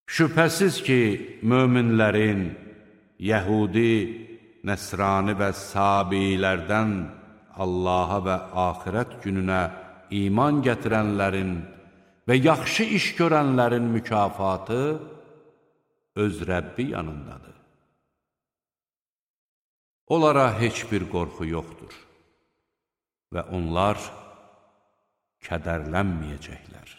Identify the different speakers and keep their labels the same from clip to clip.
Speaker 1: Şübhəsiz ki, möminlərin, yəhudi, nəsrani və sabilərdən Allaha və axirət gününə iman gətirənlərin və yaxşı iş görənlərin mükafatı öz Rəbbi yanındadır. Onlara heç bir qorxu yoxdur və onlar kədərlənməyəcəklər.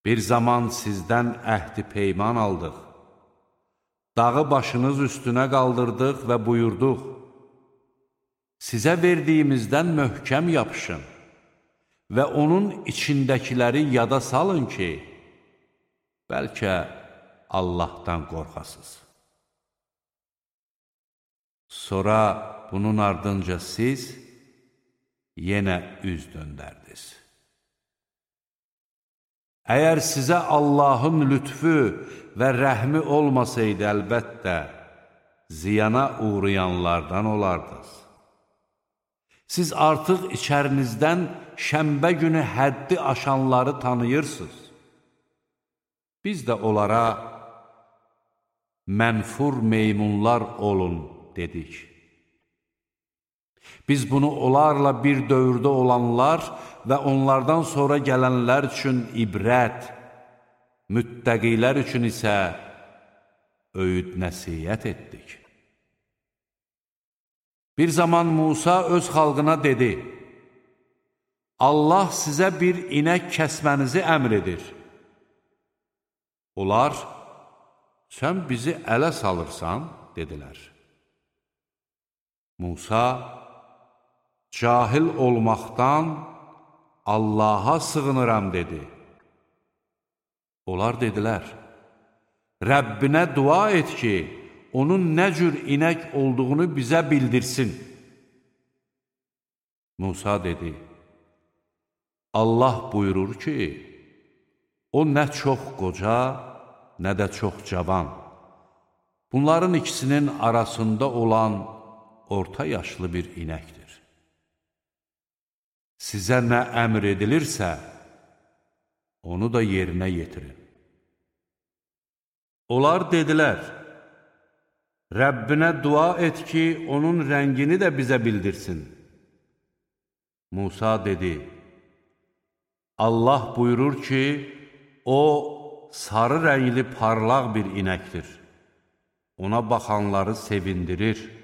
Speaker 1: Bir zaman sizdən əhdi peyman aldıq, dağı başınız üstünə qaldırdıq və buyurduq, sizə verdiyimizdən möhkəm yapışın və onun içindəkiləri yada salın ki, bəlkə Allahdan qorxasınız. Sonra bunun ardınca siz yenə üz döndərdiniz. Əgər sizə Allahın lütfü və rəhmi olmasaydı, əlbəttə, ziyana uğrayanlardan olardınız. Siz artıq içərinizdən şənbə günü həddi aşanları tanıyırsınız. Biz də onlara mənfur meymunlar olun dedik. Biz bunu onlarla bir dövrdə olanlar və onlardan sonra gələnlər üçün ibrət, müttəqilər üçün isə öyüd nəsihət etdik. Bir zaman Musa öz xalqına dedi, Allah sizə bir inək kəsmənizi əmr edir. Onlar, sən bizi ələ salırsan, dedilər. Musa, cahil olmaqdan Allaha sığınıram, dedi. Onlar dedilər, Rəbbinə dua et ki, onun nə cür inək olduğunu bizə bildirsin. Musa dedi, Allah buyurur ki, o nə çox qoca, nə də çox cavan. Bunların ikisinin arasında olan orta yaşlı bir inəkdir. Sizə nə əmr edilirsə, onu da yerinə yetirin. Onlar dedilər, Rəbbinə dua et ki, onun rəngini də bizə bildirsin. Musa dedi, Allah buyurur ki, o sarı rəngli parlaq bir inəkdir. Ona baxanları sevindirir.